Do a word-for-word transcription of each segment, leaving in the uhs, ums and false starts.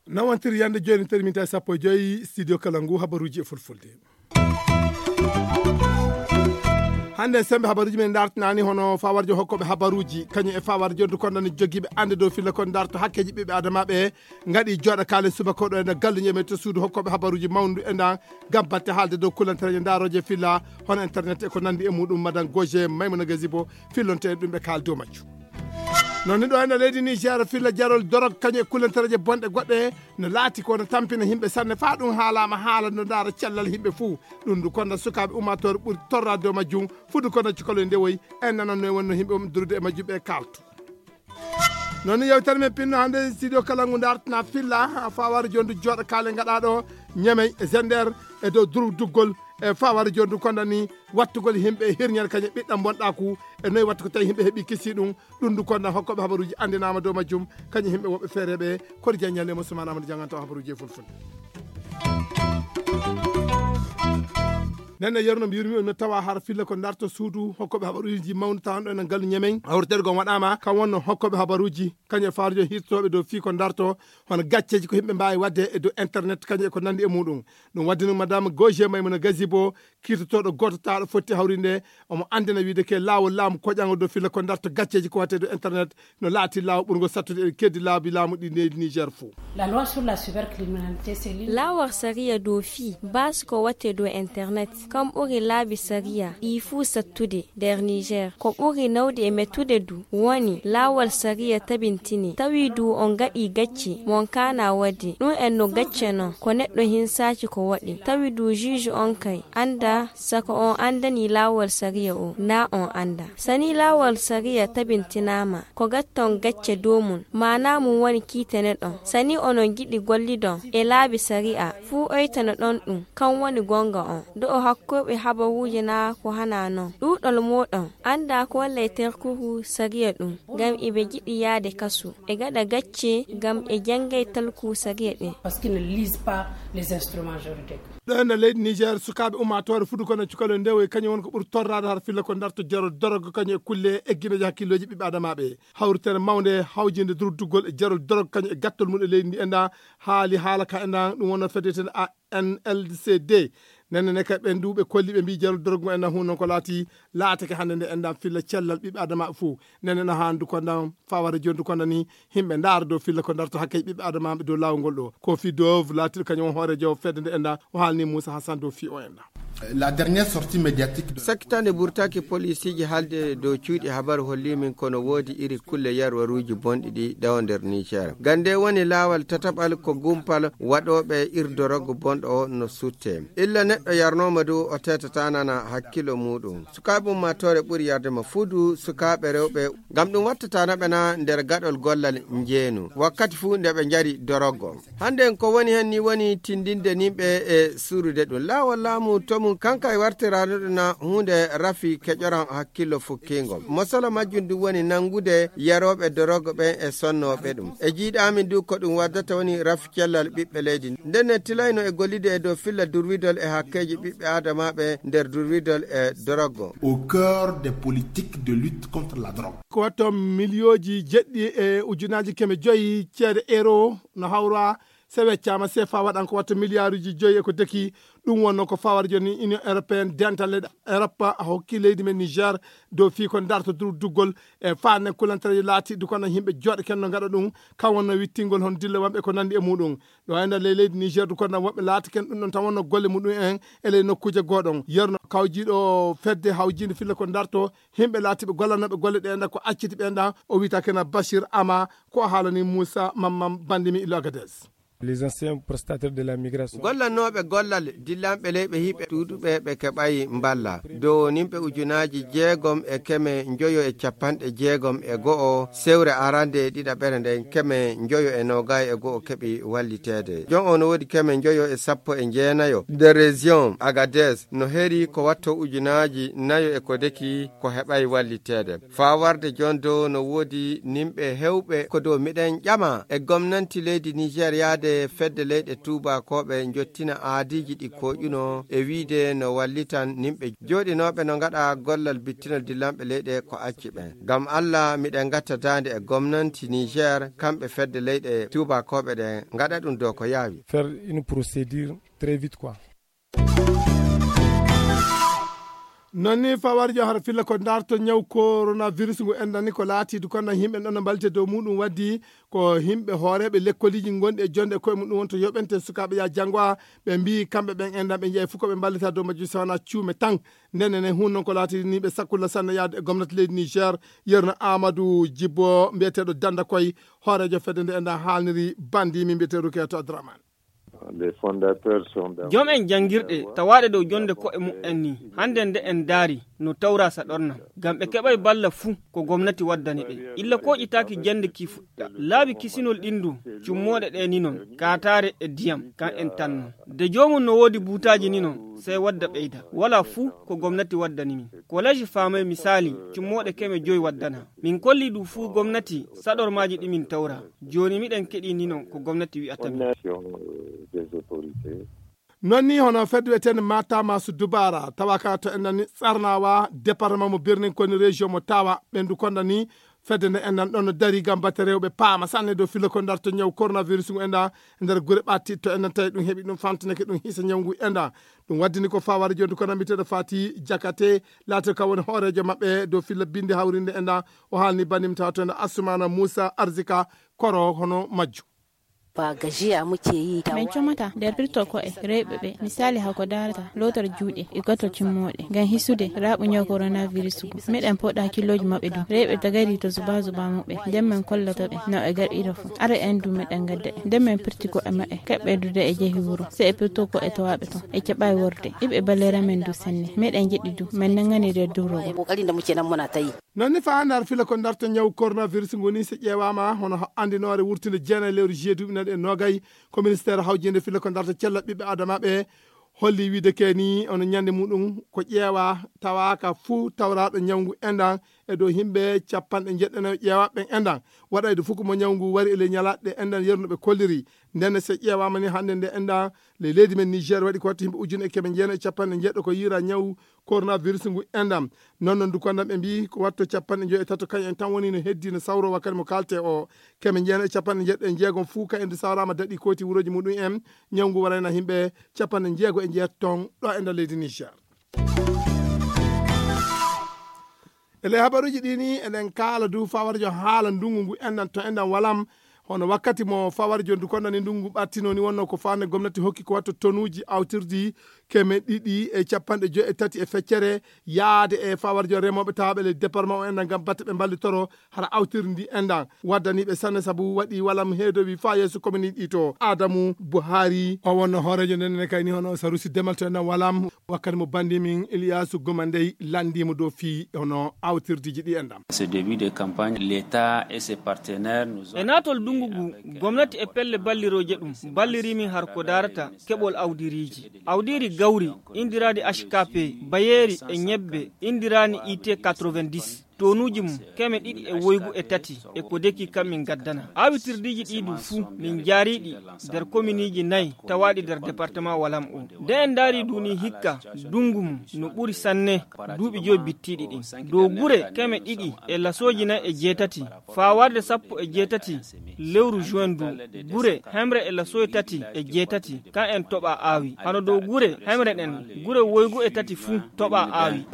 Nawantiri yande jooni teri minti sappo e joyi studio kala ngu habaruuji e fulfulde. Hannde sembe habaruuji men dartinaani hono fawarjo hokkoɓe habaruuji kañum e fawarjo ndu kondani jogiiɓe annde dow filla kon darto hakkeeji ɓiɓɓe adamaaɓe ngaɗi jooɗa kaale subaka ɗo e nder galluñe men to suudu hokkoɓe habaruuji mawndu e ndan ngam batte haalde dow kulantareeje ndaarooje filla hono internet e ko nanndi e muɗum madan goje maymuna gazibo fillonte en ɗum ɓe kaal dow majju. Noon ni ɗo ene leydi niger filla jarol dorog kañum e kulantareeje bonɗe goɗɗe no laati ko no tampina yimɓe sanne faa ɗum haalaama haala no ndaara cellal yimɓe fuu. Ɗum ndu konda sukaaɓe ummaatoore ɓuri torraade dow majjum fudu konda cukaloy ndewoy en nanon no wonno yimɓe um durude e majjum ɓe kaaltu. Noon ni yewtere men pinno hannde studio kala ngu dartana filla faware jondu jooɗa kaale ngaɗa ɗo ñamey e zender e dow durduggol e faware jondu kondani wattugol yimɓe e hirñere kañum ɓiɗɗam bonɗaku e noyi wattu ko tawi yimɓe heɓi kisi ɗum. Ɗum ndu konna hokkoɓe habaruji andinama dow majjum kañum yimɓe woɓɓe feereɓe koto jaññande mo sumanama nde janganta o habaruji e fulfulde. Nenne yerno mbiyirmi on no tawa har filla ko darto suudu hokkoɓe habaruji mawno tawanɗo enen gallu ñamen hawritede gon waɗama kam wonno hokkoɓe habaruji kañum e farujo hirtoɓe dow fii ko darto hono gacceji ko yimɓe mbawi wadde e dow internet kañum e ko nandi e muɗum. Ɗum wadde noon madame gauge maymuna gazibo kirtotoɗo goto taɗo fotti hawrinde omo andina wiide ke laawol laamu koƴango dow filla ko darto gacceji ko watte dow internet no laati laawo ɓurgo sattude e keddi laabi laamu ɗi leydi niger fou. La loi sur la cybercriminalité c'est l'une laawol sariya dow fii baasi ko watte dow internet kam ɓuri laabi sariya ɗi fuu sattude nder niger ko ɓuri nawde e mettude du woni laawol sariya tabintini tawi du on gaɗi gacce mon kana wadde ɗum en no gacce non ko neɗɗo hinsaaki ko waɗi tawi du juge on kay anda sako on andani laawol sariya o na on anda sani laawol sariya tabintinaama ko gatton gacce dow mum maana mum woni kiitene ɗon sani onon giɗi gollidon e laabi sariya fuu oytano ɗon ɗum kan woni gonga on do o hakkoɓe habaruuji na ko hana non ɗuɗol moɗon anda ko wallay terkuru sariya ɗum ngam iɓe giɗi yaade kasu ɓe gaɗa gacce ngam ɓe janngay talku sariya ɗin. Parce qu'ils ne lisent pas les instruments juridiques. Ɗo e nder leydi niger sukaaɓe ummaatoore fudu kono cukalo ndewoy kañum won ko ɓuri torraade har filla ko darto jarol dorog kañum e kulle eggineeje hakkillooji ɓiɓɓe adamaaɓe hawritere mawnde hawjinde durduggol e jarol dorog kañum e gattol mum e leydi ndi enda haali haala ka enda ɗum wonno fedeten a nlcd nenne ne kay ɓen duuɓe kolli ɓe mbi jarol dorog ngo enda hun noon ko laati laatake hannde nde enda filla cellal ɓiɓɓe adamaaɓe fof nenne no handu ko ndan fawara jondu ko nani yimɓe ndaara dow filla ko darto hakkee ɓiɓɓe adamaaɓe dow laawol ngol ɗo kofi dove laatiɗo kañum on hoorejo fedde nde enda o haalni moussa hassan dow fi o enda. La dernière sortie médiatique de sakitande burtaki polisiji haalde dow cuuɗi habaru holli min kono woodi iri kulle yarwaruuji bonɗi ɗi ɗawo nder niger gande woni laawal tataɓal ko gumpal waɗooɓe irdoroggo bonɗo o no sutte illa neɗɗo yarnooma du o teetatanana hakkilo muɗum sukaaɓe ummaatoore ɓuri yardema fuu du sukaaɓe rewɓe ngam ɗum wattatanaɓe na nder gaɗol gollal njeenu wakkati fuu nde ɓe njari doroggo hannde ko woni heen ni woni tindinde nimɓe e surude ɗum laawol laamu to mum kanka e wartirano ɗum na huunde rafi keƴoran hakkillo fukkiingo mosolo majjum ɗum woni nanngude yarooɓe doroggo ɓen e sonnooɓe ɗum e jiiɗaamin du ko ɗum waddata woni rafi cellal ɓiɓɓe leydi nden ne tilayno e gollide e dow filla durwidol e hakkeeji ɓiɓɓe aadamaaɓe nder durwidol e doroggo au cœur des politiques de lutte contre la drogue. Ko watto miliyooji jeɗɗi e ujunaaji keme joyi ceede euro no hawra se weccaama sefa waɗan ko watta miliyaaruuji joyi e ko deki ɗum wonno ko fawara jooni union européenne dental leyɗe europe a hokki leydi men niger dow fii ko darto durduggol e faande kulantareejo laati dukana yimɓe jooɗe kenno ngaɗa ɗum kam wonno wittingol hon dille wamɓe ko nanndi e muɗum ɗo e nder ley leydi niger dukana woɓɓe laati ken ɗum ɗon tan wonno golle muɗum en e ley nokkuuje gooɗon yerno kawjiiɗo fedde hawjiinde filla ko darto yimɓe laatiɓe gollanooɓe golle ɗe enda ko acciti ɓe enda o wiyta kena bachir ama ko haalani moussa mammam bandimi illo agades. Les anciens prestataires de la migration. Gollannooɓe gollal dillanɓe leyɓe hiɓe tuuduɓe ɓe keɓayi mballa dow nimɓe ujunaaji jeegom e keme njoyo e capanɗe jeegom e go'o sewre arande e ɗiɗaɓere nden keme njoyo e noogay e go'o keɓi walliteede jon o no woodi keme njoyo e sappo e jeenayo nder région agades no heri ko watto ujunaaji nayo e ko deki ko heɓay walliteede faa warde jon dow no woodi nimɓe hewɓe ko dow miɗen ƴama e gomnanti leydi niger yaade e fedde leyɗe tuubakooɓe njottina aadiiji ɗi kooƴuno e wiide no wallitan nimɓe jooɗinooɓe no ngaɗa gollal bittinol dillanɓe leyɗe ko acci ɓen. Ngam Alla, miɗen ngatta daande e gomnanti Niger, kamɓe fedde leyɗe tuubakooɓe ɗen ngaɗa ɗum dow ko yaawi. Faire une procédure très vite, quoi. Non ni fawarjo har filla ko darto ñaw coronavirus ngu enɗan ni ko laati du konɗan yimɓe ɗon no mbalte dow muɗum waddi ko yimɓe hooreɓe lekkoliji gonɗi e jonde e koye muɗum wonto yoɓente sukaɓe ya janngo a ɓe mbi kamɓe ɓen enɗan ɓe jeeyi fof ko ɓe mballita dow majjum sawana cuume tan. Ndenen e hun non ko laati ni ɓe sakkulla sanne yaade e gomnati leydi Niger yerno Amadou Djibo mbiyeteɗo danda koye hoorejo fedde nde enɗan haalniri bandi min mbiyeteɗo keto Abdourahmane. Joom en janngirɗe tawaaɗe dow jonde ko'e mu'en ni hannde nde en ndaari no tawra saɗorna ngam ɓe keɓay balla fuu ko gomnati waddani ɓe illa koƴitaaki jannde ki fuɗɗa laabi kisinol ɗin du cummooɗe ɗe ni non kaataare e diyam kan en tanno de joomum no woodi buutaaji ni non sey wadda ɓeyda wala fuu ko gomnati waddani min. Koleeji faamay misaali cummooɗe keme joyi waddana min kolli ɗum fuu gomnati saɗormaaji ɗi min tawra. Jooni miɗen keɗii ni non ko gomnati wi'ata min. Non ni hono fedde wi'eteende mata masu dubara tawa ka to enɗan ni tsarnawa département mo birnin koni région mo tawa ɓendu konɗan ni fedde nde enɗan ɗon no dari gam batte rewɓe paama sanne dow filla ko darto ñaw coronavirus ngu enɗan e nder gure ɓatti to enɗan tawi ɗum heɓi ɗum famtinake ɗum hisa ñaw ngu enɗan. Ɗum waddini ko fawari jondu kono mbiteɗo fati jakate laata ka woni hoorejo maɓɓe dow filla binde hawrinde enɗan. O haalni banimtawa to enɗan assumana moussa arzika koro hono majju. Ba gajiya muke yi ta. Min comata nder pirto ko'e rewɓe ɓe misali hako darata lotor juuɗe e goto cimmoɗe ngam hisude raɓu ñaw coronavirus gu. Meɗen poɗa killoji maɓɓe du rewɓe tagari to zuba zuba muɓɓe nden min kollata ɓe no ɓe gaɗira fu. Ara en du meɗen gadda ɓe nden min pirti ko'e maɓɓe kaɓɓe dude e jehi wuro se e pirto ko'e tawaɓe ton e keɓa e worde iɓe balera men du sanne meɗen jeɗɗi du min nangani nder durogo. Kokari da muke nan muna ta yi. Non ni fa nder fila ko darta ñaw coronavirus ngu ni so ƴeewama hono andinoore wurtinde jeenayi lewru juillet duuɓi nayi e noogay ko ministère hawjinde fila ko darta cella ɓiɓɓe adamaɓe holli wiide ke ni ono ñande muɗum ko ƴeewa tawaka fuu tawraɗo ñawngu endan e dow himɓe capanɗe jeɗɗanayo ƴeewaɓe ɓen endan waɗayde fuu ko mo ñawngu wari e ley ñalaɗe endan yernuɓe kolliri. Ndenne so ƴeewama ni hannde nde endan ley leydi men niger waɗi ko watta himɓe ujune e keme jeenayi e capanɗe jeɗɗo ko yira ñaw coronavirus ngu endam. Non non dukanɗam ɓe mbi ko watto capanɗe joyi e tato kañum en tan woni no heddi no sawro wakkati mo kalte o keme jeenayi e capanɗe jeɗɗo e jeegom fuu ka en du sawrama daɗi koyti wuroji muɗum en. Ñawngu warayna himɓe capanɗe jeego e jeetto ton ɗo e nder leydi niger. E ley habaruji ɗi ni eɗen kaala du fawarjo haala ndungu ngu enɗan to enɗan walam hono wakkati mo fawarjo ndu konnani ndungu ɓattino ni wonno ko fande gomnati hokki ko watto tonuji awtirdi keme ɗiɗi e capanɗe joyi e tati e feccere yaade e fawarjo remoɓe tawaɓe ley département o enɗan ngam batte ɓe mballitoro hara awtirdi ndi enɗan waddaniɓe sanne saabu waɗi walam heedowi fa yeeso komini ɗi to adamu buhari o wonno hoorejo nden ene kayni hono sarusi demal to enɗan walam. Wakkati mo bandi min iliyasu goma ndey landimo dow fii hono awtirdiji ɗi enɗan. Ce début de campagne l'état et ses partenaires nous ont e naatol dungu ngu gomnati e pelle ballirooje ɗum ballirimin har ko darata keɓol awdiriiji awdiiri gawri indiraadi h k p bayeeri e ñebbe indiraani it quatre-vingt-dix tonuuji mum keme ɗiɗi e woygu e tati e ko deki kam min gaddana awitirdiiji ɗi du fuu min jaariiɗi nder kominiiji nayi tawaaɗi nder département walam o. Nde en ndaari duni hikka dungu mum no ɓuri sanne duuɓi joyi bittiiɗi ɗin dow gure keme ɗiɗi e lasooji nayi e jeetati faa warde sappo e jeetati lewru juin du gure hemre e lasooji tati e jeetati kan en toɓa aawi hano dow gure hemre ɗen gure woygu e tati fuu toɓa aawi.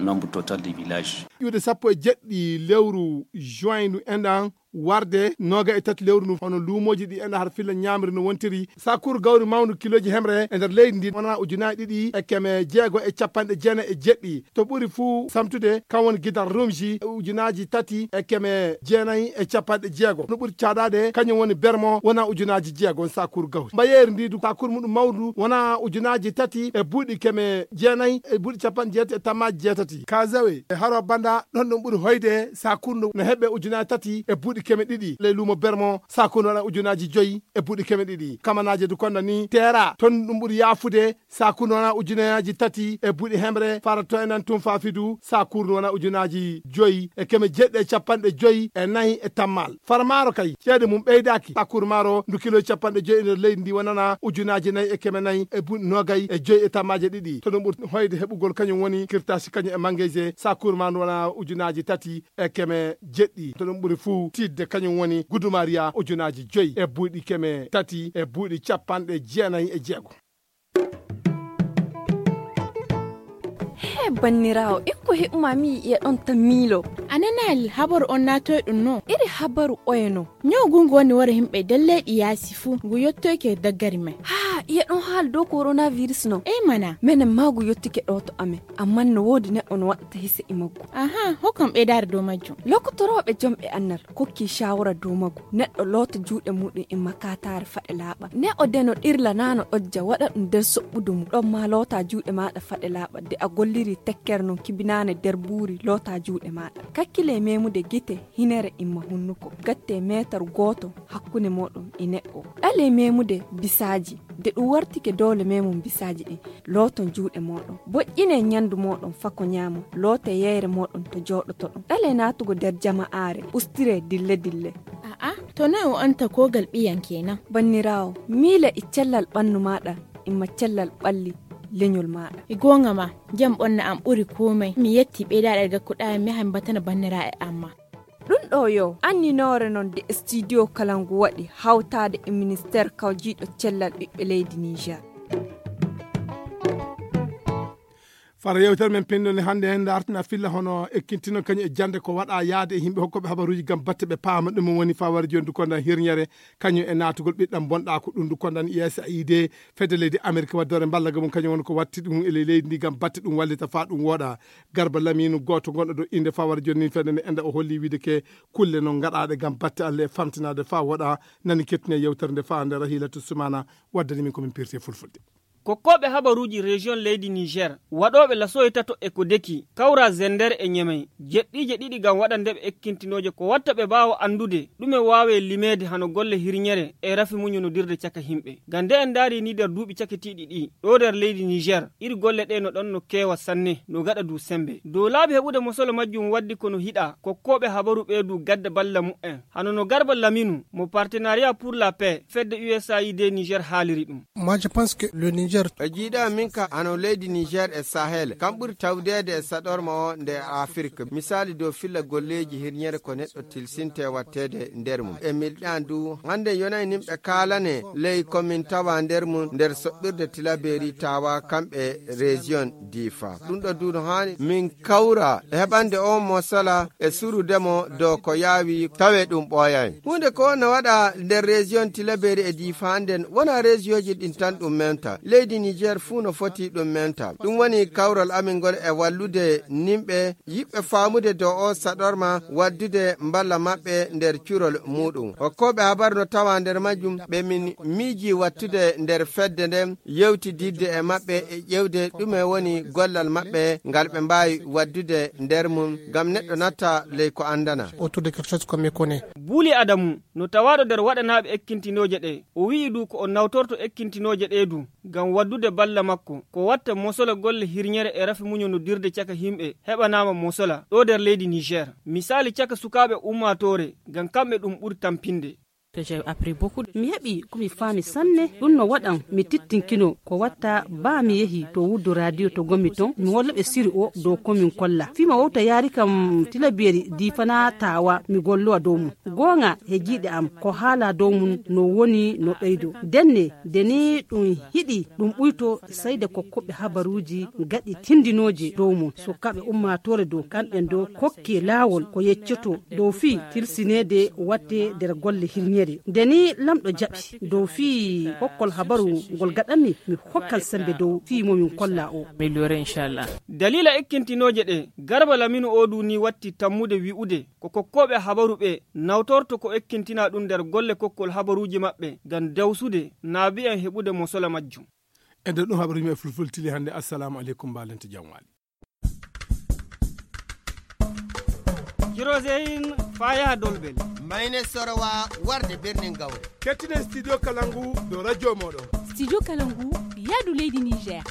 Nombre total de village ƴuude sappo e jeɗɗi lewru juin ndu enɗan warde noga e tati lewru ndu hono luumoji ɗi enɗan har filla ñamri no wontiri sakuru gawri mawndu kiloji hemre e nder leydi ndi wona ujunaji ɗiɗi e keme jeego e capanɗe jeenayi e jeɗɗi to ɓuri fuu samtude kam woni gidal rumji e ujunaji tati e keme jeenayi e capanɗe jeego no ɓuri caɗade kañum woni bermo wona ujunaji jeego on sakuru gawri mbayeri ndi du sakuru muɗum mawdu wona ujunaji tati e buuɗi keme jeenayi e buuɗi capanɗe jeetati e tammaji jeetati kazawe e haro banda ɗon ɗum ɓuri hoyde sakuru no heɓe ujunaji tati e buuɗi keme ɗiɗi ley luumo bermo, sakuuru wona ujunaaji joyi e buuɗi keme ɗiɗi. Kamanaaje du konda ni teera ton ɗum ɓuri yaafude, sakuuru wona ujunaaji tati e buuɗi hemre, fara to enen tun faafi du, sakuuru wona ujunaaji joyi e keme jeɗɗi e capanɗe joyi e nayi e tammal. Fara maaro kay, ceede mum ɓeydaaki, sakuuru maaro ndu kilo capanɗe joyi e nder leydi ndi wonana ujunaaji nayi e keme nayi e buuɗi noogay e joyi e tammaaje ɗiɗi. To ɗum ɓuri hoyde heɓugol kañum woni kirtaasi kañum e mangeyse, sakuuru maaro ndu wona ujunaaji tati e keme jeɗɗi. To ɗum ɓuri fuu tiiɗde kañum woni gudumariya ujunaaji joyi e buuɗi keme tati e buuɗi capanɗe jeenayi e jeego. He banniraawo, ikko heɓuma mi yi'e ɗon tan miilo. A nanaali habaru on naatoy ɗum no? Iri habaru oye no? Ñaw ngu ngu woni wara yimɓe nder leyɗi yaasi fuu, ngu yottoyke daggari may. Haa, iye ɗon haala dow coronavirus no? Ey mana. Menen maa ngu yottike ɗo to amen, ammaa no woodi neɗɗo no waɗata hise e maggu. Aha, hokkam ɓeydaare dow majjum. Lokotorooɓe jomɓe annal kokki shawara dow maggu. Neɗɗo loota juuɗe muɗum e makataare faɗe laaɓa. Ne o deno ɗirla naa no ɗojja waɗa ɗum nder soɓɓudu mum. Ɗon maa loota juuɗe maaɗa faɗe laaɓa de a golliri tekkere non kibinaane nder buuri loota juuɗe maaɗa. Kakkile memude gite, hinere imma hunnuko. Gatte meetar gooto hakkunde mooɗon e neɗɗo. Ɗale memude bisaaji. De ɗum wartike doole memum bisaaji ɗin. Looton juuɗe mooɗon. Boƴƴine ñandu mooɗon fako ñaamon. Loote yeyre mooɗon to jooɗotoɗon. Ɗale naatugo nder jama'aare. Ustire dille dille. A'a, to noy o anta kogal ɓiyan kenan? Banniraawo, miila e cellal ɓannu maaɗa, imma cellal ɓalli leñol maaɗa. E goonga ma, jam ɓonna am ɓuri komay. Mi yetti ɓeydaaɗe gakkuɗaa mi yaha mi batana banniraaɓe am ma. Ɗum ɗo yo anninoore non de studio kala ngu waɗi hawtaade e ministeer kawjiiɗo cellal ɓiɓɓe leydi Niger. Fara yewtere men pinndo nde hannde en dartina filla hono ekkintino kañum e jannde ko waɗa yaade e yimɓe hokkooɓe habaruuji ngam batte ɓe paama ɗum woni fawar jondu kondan hirñere kañum e naatugol ɓiɗɗam bonɗa ko ɗum ndu kondan U S A I D fedde leydi Amerique waddore mballaga mum kañum woni ko watti ɗum e ley leydi ndi ngam batte ɗum wallita faa ɗum wooɗa. Garba Laminu gooto gonɗo dow innde fawar jonni fedde nde enda o holli wiide ke kulle non gaɗaaɗe ngam batte Allah e famtinaade faa wooɗa. Nani kettine yewtere nde faa nder Rahilatu Sumana waddani min ko min pirti e fulfulde. Kokkooɓe habaruuji région leydi Niger, waɗooɓe lasoye tato e ko deki, kawra Zender e Ñemey, jeɗɗiije ɗiɗi ngam waɗande ɓe ekkintinooje ko watta ɓe mbaawa anndude ɗume waawe limeede hano golle hirñere e rafi muñonodirde caka yimɓe. Ngam nde en ndaari ni nder duuɓi cakitiiɗi ɗi, ɗo nder leydi Niger, iri golle ɗe no ɗon no keewa sanne, no gaɗa du sembe. Dow laabi heɓude mosolo majjum waddi ko no hiɗa, kokkooɓe habaru ɓe du gadda balla mu'en. Hano no Garba Laminu, mo Partenariat pour la Paix, fedde U S A I D Niger haaliri ɗum. Moi, je pense que le Niger. E jiiɗa min ka hano leydi Niger e Sahel, kam ɓuri tawdeede e saɗorma o nde Afirka. Misaali dow filla golleeji hirñere ko neɗɗo tilsinte watteede nder mum. E milɗan du, hannde yonay nimɓe kaalane ley komin tawa nder mum nder soɓɓirde Tilaberi tawa kamɓe région Difa. Ɗum ɗo du no haani min kawra e heɓande on mo sala e surudemo dow ko yaawi tawe ɗum ɓooyay. Huunde ko no waɗa nder région Tilaberi e Difa nden wona régionnji ɗin tan ɗum menta. Leydi Niger fuu no foti ɗum menta. Ɗum woni kawral amin ngol e wallude nimɓe yiɓɓe faamude dow o saɗorma waddude mballa maɓɓe nder curol muɗum. Hokkooɓe habar no tawa nder majjum ɓe min miiji wattude nder fedde nden yewtididde e maɓɓe e ƴewde ɗume woni gollal maɓɓe ngal ɓe mbaawi waddude nder mum ngam neɗɗo natta ley ko anndana. Autour de quelque chose qu'on méconnaît. Buuli Adamu, no tawaaɗo nder waɗanaaɓe ekkintinooje ɗe, o wi'i du ko o nawtorto ekkintinooje ɗe du, ngam waddude balla makko, ko watta mosola golle hirñere e rafi muñonodirde caka yimɓe heɓanaama mosola ɗo nder leydi Niger. Misaali caka sukaaɓe ummaatoore, ngam kamɓe ɗum ɓuri tampinde. Mi heɓi ko mi faami sanne, ɗum no waɗan mi tittinkino ko watta baa mi yehi to wuddu radio to ngonmi ton, mi holla ɓe siri o dow ko min kolla. Fii mo wowta yaari kam Tilaberi Difa naa Tawa mi gollowa dow mum. Goonga he jiiɗe am ko haala dow mum no woni no ɓeydo. Ndenne, nde ni ɗum hiɗi ɗum ɓuyto sey nde kokkooɓe habaruuji gaɗi tindinooje dow mum. Sukaaɓe ummaatoore dow kamɓe ndo kokke laawol ko yeccoto dow fii tilsineede watte nder golle hirñere. Nde ni lamɗo jaɓi dow fii kokkol habaru ngol gaɗanmi, mi hokkan sembe dow fii mo min kolla o. Daliila ekkintinooje ɗe, Garba Laminu o du ni watti tammude wi'ude ko kokkooɓe habaru ɓe nawtorto ko ekkintina ɗum nder golle kokkol habaruuji maɓɓe ngam dawsude naabi'en heɓude mosola majjum. E nder ɗum habaruuji men fulfulde tili hannde, assalamu aleykum, mbaalente jam waali. Hiroseyin faya dolbel. Mayne sorowa warde birnin gawre. Kettinen Studio Kalangu dow radio moɗon. Studio Kalangu, yaadu leydi Niger.